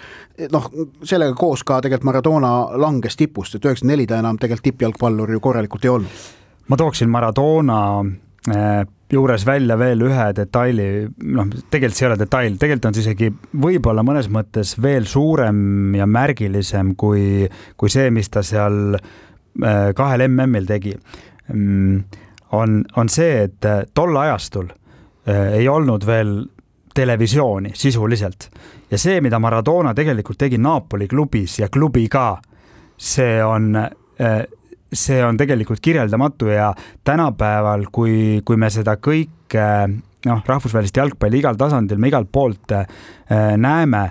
noh, sellega koos ka tegelikult Maradona langes tipust, et üheksakümmend neli ta enam tegelikult tippjalgpallur ju korralikult ei olnud. Ma tooksin Maradona juures välja veel ühe detaili, noh, tegelikult see ei ole detail, tegelikult on see isegi võib-olla mõnes mõttes veel suurem ja märgilisem kui, kui see, mis ta seal kahel M M-il tegi. On, on see, et tol ajastul ei olnud veel televisiooni sisuliselt ja see, mida Maradona tegelikult tegi Napoli klubis ja klubi ka, see on, see on tegelikult kirjeldamatu ja tänapäeval, kui, kui me seda kõike, noh, rahvusvahelist jalgpalli igal tasandil, me igalt poolt näeme,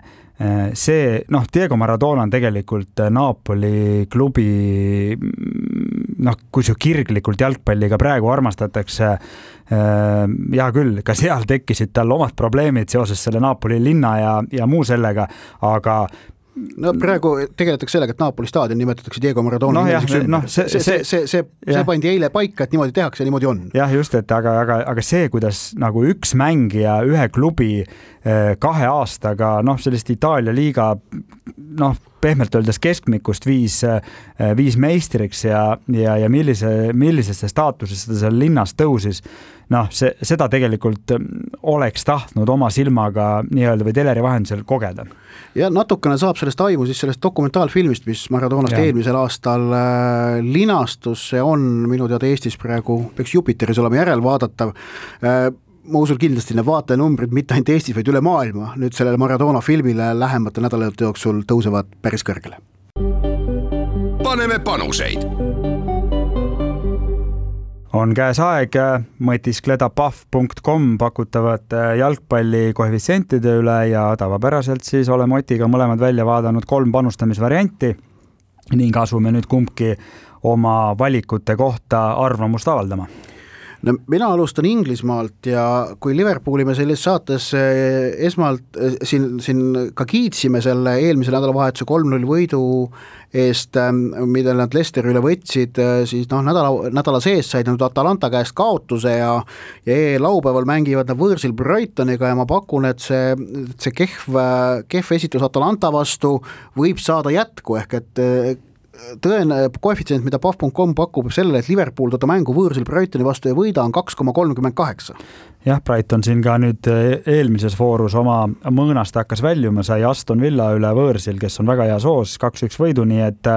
see, noh, Diego Maradona on tegelikult Napoli klubi, noh, kui see kirglikult jalgpalliga praegu armastatakse, hea küll, ka seal tekkisid tal omad probleemid seoses selle Napoli linna ja, ja muu sellega, aga no praegu tegeletakse sellega, et Napoli staadion nimetatakse Diego Maradona no, jah, no, see, see, see, see, see, see pandi eile paika, et niimoodi tehakse ja niimoodi on. Jah, just, et aga, aga, aga see, kuidas nagu üks mängija ühe klubi kahe aastaga, noh, sellist Itaalia liiga, noh, pehmelt öeldes keskmikust viis, viis meistriks ja, ja, ja millise, millisesse staatusesse ta seal linnas tõusis, noh, see, seda tegelikult oleks tahtnud oma silmaga nii-öelda või teleri vahendusel kogeda. Ja natukene saab sellest aimu siis sellest dokumentaalfilmist, mis Maradonast ja. eelmisel aastal äh, linastus, see on minu teada Eestis praegu, peaks Jupiteris olema järelvaadatav. Äh, ma usun kindlasti need vaatajanumbrid mitte ainult Eestis, vaid üle maailma nüüd sellele Maradona filmile lähemate nädalate jooksul tõusevad päris kõrgele. Paneme panuseid. On käes aeg mõtiskleda pahv punkt com pakutavate jalgpalli koefitsientide üle ja tavapäraselt siis oleme Otiga mõlemad välja vaadanud kolm panustamisvarianti ning asume nüüd kumbki oma valikute kohta arvamust avaldama. No, mina alustan Inglismaalt ja kui Liverpooli me selles saates esmalt siin, siin ka kiitsime selle eelmise nädalavahetuse kolm null võidu eest, mida nad Leicesteri üle võtsid, siis noh, nädala, nädala sees said nüüd Atalanta käest kaotuse ja, ja laupäeval mängivad nad võõrsil Brightoniga ja ma pakun, et see, see kehv, kehv esitus Atalanta vastu võib saada jätku, ehk et tõene koefitsient, mida pahv punkt com pakub sellele, et Liverpool tota mängu võõrsil Brightoni vastu ei võida, on kaks koma kolmkümmend kaheksa. Jah, Brighton siin ka nüüd eelmises voorus oma mõõnast hakkas väljuma, sai Aston Villa üle võõrsil, kes on väga hea soos, kaks üks võidu, nii et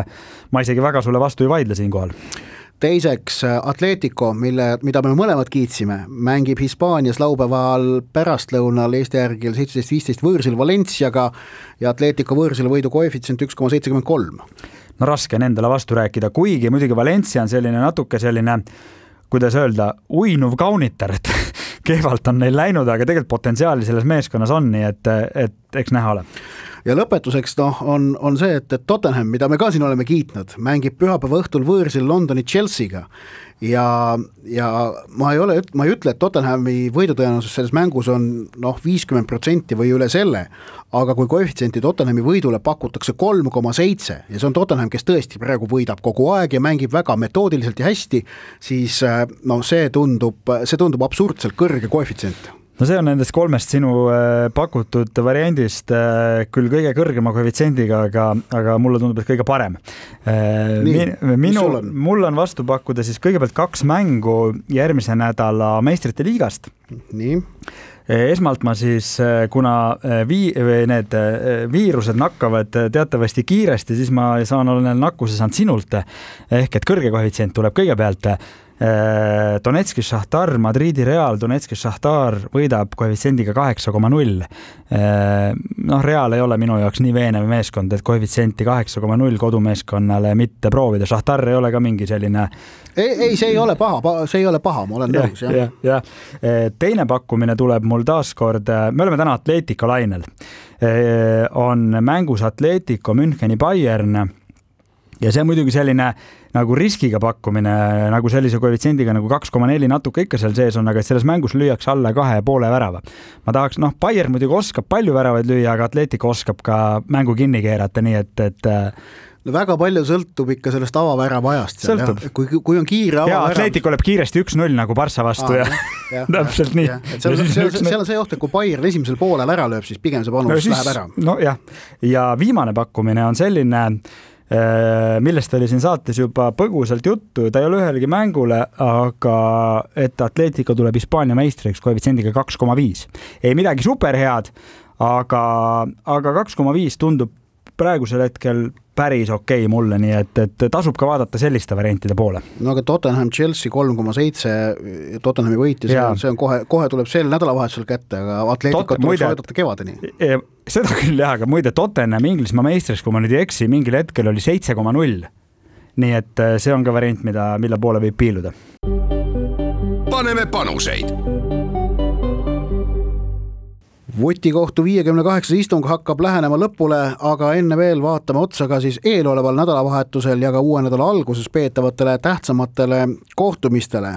ma isegi väga sulle vastu ei vaidle siin kohal. Teiseks Atletico, mille, mida me mõlemad kiitsime, mängib Hispaanias laupäeval pärastlõunal Eesti järgil seitseteist viisteist võõrsil Valenciaga ja Atletico võõrsil võidu koefitsient üks koma seitsekümmend kolm. No raske on endale vastu rääkida, kuigi muidugi Valencia on selline natuke selline, kuidas öelda, uinuv kaunitar, et kehvalt on neil läinud, aga tegelikult potentsiaali selles meeskonnas on, nii et, et eks näha ole. Ja lõpetuseks noh, on, on see, et, et Tottenham, mida me ka siin oleme kiitnud, mängib pühapäeva õhtul võõrsil Londoni Chelsea'ga ja, ja ma ei ole, ma ei ütle, et Tottenhami võidutõenäosus selles mängus on noh, viiskümmend protsenti või üle selle, aga kui koefitsienti Tottenhami võidule pakutakse kolm koma seitse ja see on Tottenham, kes tõesti praegu võidab kogu aeg ja mängib väga metoodiliselt ja hästi, siis no, see tundub, see tundub absurdselt kõrge koefitsient. No see on nendest kolmest sinu pakutud variandist küll kõige kõrgema koefitsiendiga, aga, aga mulle tundub, et kõige parem. Nii, Minu, on? Mul on vastu pakkuda siis kõigepealt kaks mängu järgmise nädala meistrite liigast. Nii. esmalt ma siis, kuna vii, need viirused nakkavad teatavasti kiiresti, siis ma saan olla nakkuse saanud sinult, ehk et kõrge koefitsient tuleb kõigepealt. Donetski Šahtar, Madridi Real, Donetski Šahtar võidab koefitsiendiga kaheksa koma null. Noh, Real ei ole minu jaoks nii veenev meeskond, et koefitsienti kaheksa koma null kodumeeskonnale mitte proovida. Šahtar ei ole ka mingi selline... Ei, ei see ei ole paha, see ei ole paha, ma olen nõus. Ja, ja. Teine pakkumine tuleb mul taaskord, me oleme täna Atletico lainel. On mängus Atletico, Müncheni, Bayern ja see on muidugi selline nagu riskiga pakkumine, nagu sellise koefitsiendiga nagu kaks koma neli natuke ikka seal sees on, aga selles mängus lüüakse alla kahe poole värava. Ma tahaks, noh, Bayern muidugi oskab palju väravaid lüüa, aga Atletico oskab ka mängu kinni keerata, nii et, et no väga palju sõltub ikka sellest avavärava ajast. Kui, kui on kiire avavärav... Ja Atletico lööb kiiresti üks null nagu Barça vastu ah, ja, ja täpselt nii. Seal, seal, seal on see oht, et kui Bayern esimesel poolel ära lööb, siis pigem see panus no, siis, läheb ära. No jah, ja viimane pakkumine on selline... millest oli siin saates juba põgusalt juttu, ta ei ole ühelegi mängule, aga et Atletico tuleb Hispaania meistriks koefitsiendiga kaks koma viis. Ei midagi superhead, aga, aga kaks koma viis tundub praegusel hetkel päris okei okay mulle, nii et, et tasub ka vaadata selliste variantide poole. No aga Tottenham Chelsea kolm koma seitse, Tottenhami võit ja see on, see on kohe, kohe tuleb sel nädalavahetusel kätte, aga Atletico Tot, tuleb soodata kevadeni. Seda küll jah, aga muide Tottenham Inglismaa meistriks, kui ma nüüd ei eksi, mingil hetkel oli seitse koma null. Nii et see on ka variant, mida, mille poole võib piiluda. Paneme panuseid. Vutikohtu viiekümne kaheksa istung hakkab lähenema lõpule, aga enne veel vaatame otsa ka siis eeloleval nädalavahetusel ja ka uue nädala alguses peetavatele tähtsamatele kohtumistele.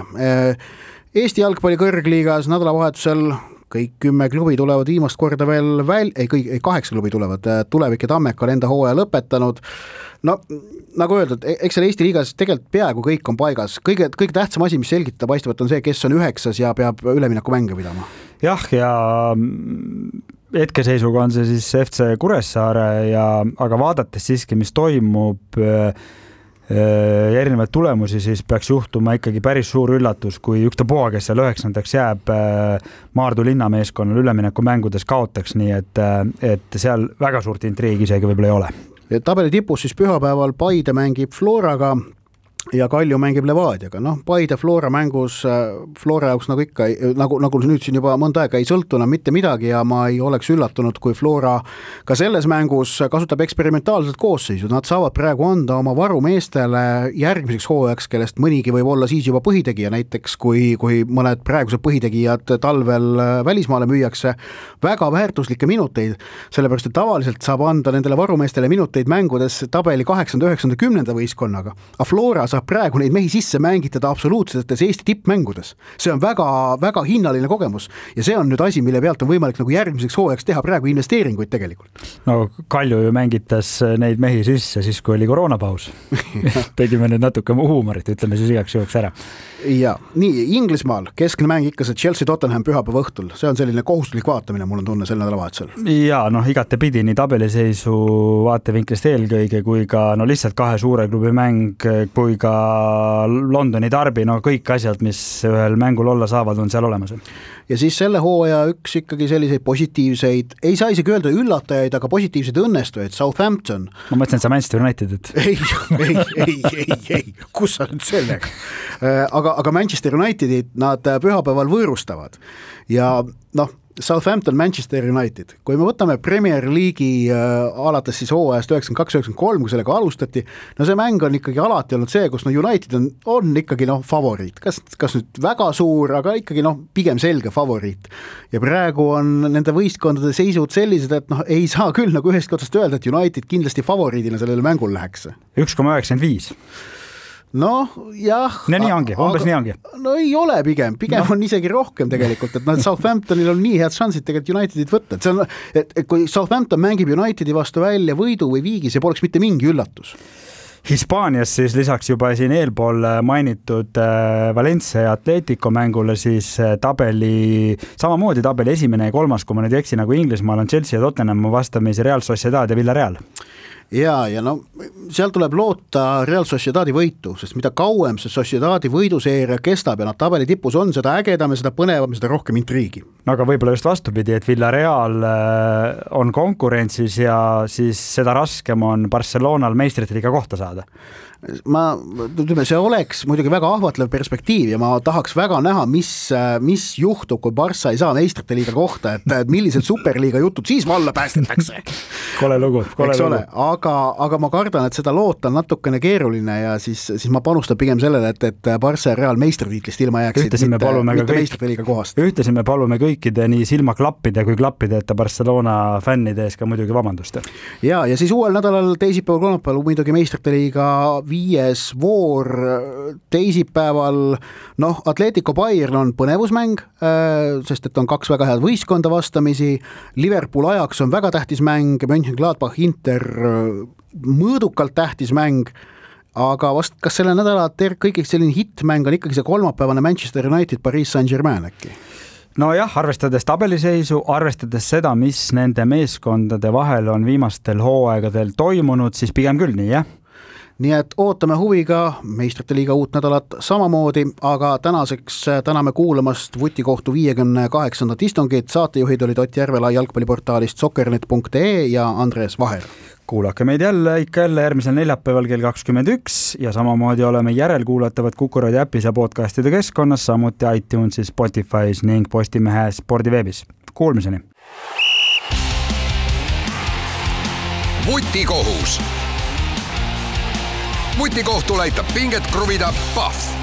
Eesti jalgpalli kõrgliigas nädalavahetusel kõik kümme klubi tulevad viimast korda veel väl... ei, kõik, ei, kaheksa klubi tulevad, Tulevik ja Tammeka on enda hooaja lõpetanud. No, nagu öeldud, eks seal Eesti liigas tegelikult peaaegu kõik on paigas. Kõige, kõige tähtsam asi, mis selgitada paistavad, on see, kes on üheksas ja peab ülemineku mänge pidama. Jah, ja hetkeseisuga on see siis F C Kuressaare, ja, aga vaadates siiski, mis toimub ja erinevaid tulemusi, siis peaks juhtuma ikkagi päris suur üllatus, kui üksta poa, kes seal üheksandaks jääb Maardu linnameeskonnal ülemineku mängudes kaotaks, nii et, et seal väga suurt intriigi isegi võib-olla ei ole. Tabeli tipus siis pühapäeval Paide mängib Floraga ja Kalju mängib Levadiaga. Noh, Paide Flora mängus, Flora jaoks nagu ikka, nagu, nagu nüüd siin juba mõnda aega ei sõltuna mitte midagi ja ma ei oleks üllatunud, kui Flora ka selles mängus kasutab eksperimentaalselt koosseisud. Nad saavad praegu anda oma varumeestele järgmiseks hooajaks, kellest mõnigi võib olla siis juba põhitegija, näiteks kui, kui mõned praegused põhitegijad talvel välismaale müüakse, väga väärtuslikke minuteid, sellepärast et tavaliselt saab anda nendele varumeestele minuteid mängudes tabeli kaheksanda, üheksanda, kümnenda võistkonnaga. A Flora saab praegu neid mehi sisse mängitada absoluutsetes Eesti tippmängudes. See on väga, väga hinnaline kogemus ja see on nüüd asi, mille pealt on võimalik nagu järgmiseks hooajaks teha praegu investeeringuid tegelikult. No Kalju ju mängitas neid mehi sisse siis, kui oli koroonapaus. Tegime nüüd natuke huumorit, ütleme siis igaks juhuks ära. Ja, nii, Inglismaal keskne mäng ikka see Chelsea Tottenham pühapäeva õhtul. See on selline kohustuslik vaatamine, mul on tunne sel nädalavahetusel. Ja, noh, igate pidi nii tabeliseisu vaatevinklist eelkõige kui ka no lihtsalt kahe suure klubi mäng, kui ka Londoni darbi, no kõik asjad, mis ühel mängul olla saavad, on seal olemas. Ja siis selle hooaja üks ikkagi selliseid positiivseid, ei saa isegi öelda üllatajaid, aga positiivseid õnnestujaid, Southampton. Ma mõtlen, et sa Manchester United, et... Ei, ei, ei, ei, ei, kus sa nüüd sellega? Aga, aga Manchester Unitedid nad pühapäeval võõrustavad ja noh, Southampton, Manchester United. Kui me võtame Premier League'i äh, alates siis hooajast üheksakümmend kaks üheksakümmend kolm, kui sellega alustati, no see mäng on ikkagi alati olnud see, kus no United on, on ikkagi noh favoriit. Kas, kas nüüd väga suur, aga ikkagi noh pigem selge favoriit. Ja praegu on nende võistkondade seisud sellised, et noh ei saa küll nagu ühest otsast öelda, et United kindlasti favoriidina sellele mängul läheks. üks koma üheksakümmend viis noh, jah. No nii ongi, umbes nii ongi. No ei ole pigem, pigem no. On isegi rohkem tegelikult, et no, Southamptonil on nii head šansid tegelikult Unitedit võtta. Et see on, et, et kui Southampton mängib Unitedi vastu välja võidu või viigi, see poleks mitte mingi üllatus. Hispaanias siis lisaks juba siin eelpool mainitud Valencia ja Atletico mängule siis tabeli, samamoodi tabeli esimene ja kolmas, kui ma nüüd eksi, nagu Inglismaal on Chelsea ja Tottenham vastamisi Real Sociedad ja Villarreal. ja, ja no seal tuleb loota Real Sociedadi võitu, sest mida kauem see Sociedadi võiduseeria kestab ja nad tabeli tipus on, seda ägedam ja seda põnevam, seda rohkem intriigi. No aga võib-olla just vastupidi, et Villarreal on konkurentsis ja siis seda raskem on Barcelonal meistrite liiga kohta saada. Ma, ütleme, see oleks muidugi väga ahvatlev perspektiiv ja ma tahaks väga näha, mis, mis juhtub, kui Barca ei saa meistrite liiga kohta, et millised superliiga jutud siis valla päästetakse. Kole lugu, kole lugu. Aga, aga ma kardan, et seda loota on natukene keeruline ja siis, siis ma panustan pigem sellele, et, et Barca ja Real meistritiitlist ilma jääksid, mitte, mitte kõik, meistrite liiga kohast. Ühtesi me palume kõikide nii silmaklappide kui klappide, et Barcelona fännide ees ka muidugi vabandust. Ja, ja siis uuel nädalal teisipäeval kolmapäeval muidugi meistrite liiga viies voor teisipäeval, noh, Atletico Bayern on põnevusmäng, sest et on kaks väga head võistkonda vastamisi, Liverpool Ajax on väga tähtis mäng, Mönchengladbach Inter mõõdukalt tähtis mäng, aga vast kas selle nädala ter- kõigiks selline hitmäng on ikkagi see kolmapäevane Manchester United Paris Saint-Germain äkki? No jah, arvestades tabeliseisu, arvestades seda, mis nende meeskondade vahel on viimastel hooaegadel toimunud, siis pigem küll nii, jah? Nii et ootame huviga meistrite liiga uut nädalat samamoodi, aga tänaseks täname kuulamast Vutikohtu viiekümne kaheksandat istungit. Saatejuhid olid Ott Järvela jalgpalliportaalist soccernet punkt ee ja Andres Vaher. Kuulake meid jälle ikka jälle järgmisel neljapäeval kell kakskümmend üks ja samamoodi oleme järelkuulatavad Kuku Raadio äpis ja podcastide keskkonnas, samuti iTunesis, Spotify's ning Postimehe spordiveebis. Kuulmiseni! Vutikohus. Vutikohtul aitab pinget kruvida Pahv.